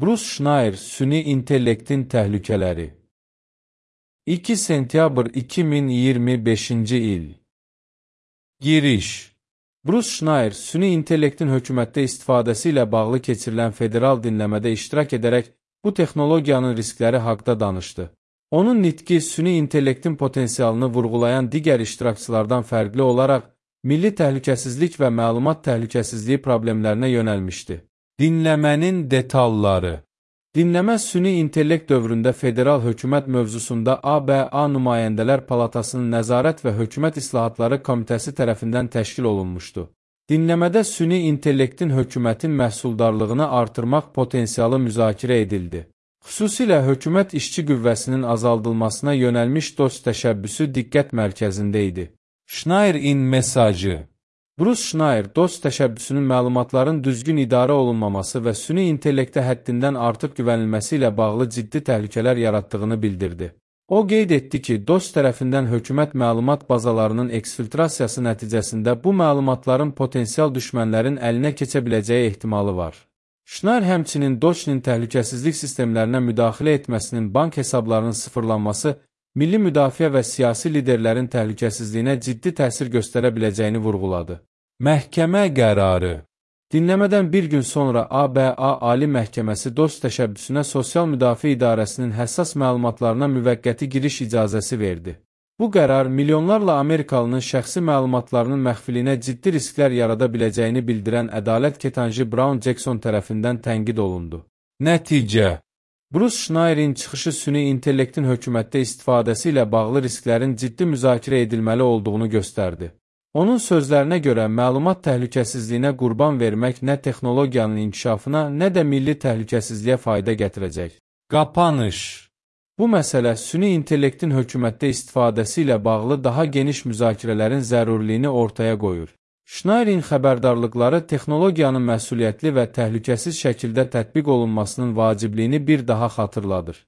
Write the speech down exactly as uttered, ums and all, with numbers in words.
Bruce Schneier, süni intellektin təhlükələri. iki sentyabr iki min iyirmi beşinci il. Giriş. Bruce Schneier, süni intellektin hökumətdə istifadəsi ilə bağlı keçirilən federal dinləmədə iştirak edərək bu texnologiyanın riskləri haqda danışdı. Onun nitqi süni intellektin potensialını vurğulayan digər iştirakçılardan fərqli olaraq, milli təhlükəsizlik və məlumat təhlükəsizliyi problemlərinə yönəlmişdi. Dinləmənin detalları. Dinləmə süni intellekt dövründə federal hökumət mövzusunda A B A Nümayəndələr Palatasının Nəzarət və Hökumət İslahatları Komitəsi tərəfindən təşkil olunmuşdu. Dinləmədə süni intellektin hökumətin məhsuldarlığını artırmaq potensialı müzakirə edildi. Xüsusilə hökumət işçi qüvvəsinin azaldılmasına yönəlmiş dost təşəbbüsü diqqət mərkəzində idi. Schneier-in mesajı. Bruce Schneier, dost təşəbbüsünün məlumatların düzgün idarə olunmaması və süni intellektə həddindən artıq güvənilməsi ilə bağlı ciddi təhlükələr yaratdığını bildirdi. O qeyd etdi ki, dost tərəfindən hökumət məlumat bazalarının eksfiltrasiyası nəticəsində bu məlumatların potensial düşmənlərin əlinə keçə biləcəyi ehtimalı var. Schneier həmçinin Doge'nin təhlükəsizlik sistemlərinə müdaxilə etməsinin bank hesablarının sıfırlanması, milli müdafiə və siyasi liderlərin təhlükəsizliyinə ciddi təsir göstərə biləcəyini vurğuladı. Məhkəmə qərarı. Dinləmədən bir gün sonra A B A Ali Məhkəməsi dost təşəbbüsünə Sosial Müdafiə İdarəsinin həssas məlumatlarına müvəqqəti giriş icazəsi verdi. Bu qərar milyonlarla Amerikalının şəxsi məlumatlarının məxfiliyinə ciddi risklər yarada biləcəyini bildirən ədalət ketanji Brown Jackson tərəfindən tənqid olundu. Nəticə. Bruce Schneier-in çıxışı süni intellektin hökumətdə istifadəsi ilə bağlı risklərin ciddi müzakirə edilməli olduğunu göstərdi. Onun sözlərinə görə məlumat təhlükəsizliyinə qurban vermək nə texnologiyanın inkişafına, nə də milli təhlükəsizliyə fayda gətirəcək. Qapanış. Bu məsələ süni intellektin hökumətdə istifadəsi ilə bağlı daha geniş müzakirələrin zəruriliyini ortaya qoyur. Schneier-in xəbərdarlıqları texnologiyanın məsuliyyətli və təhlükəsiz şəkildə tətbiq olunmasının vacibliyini bir daha xatırladır.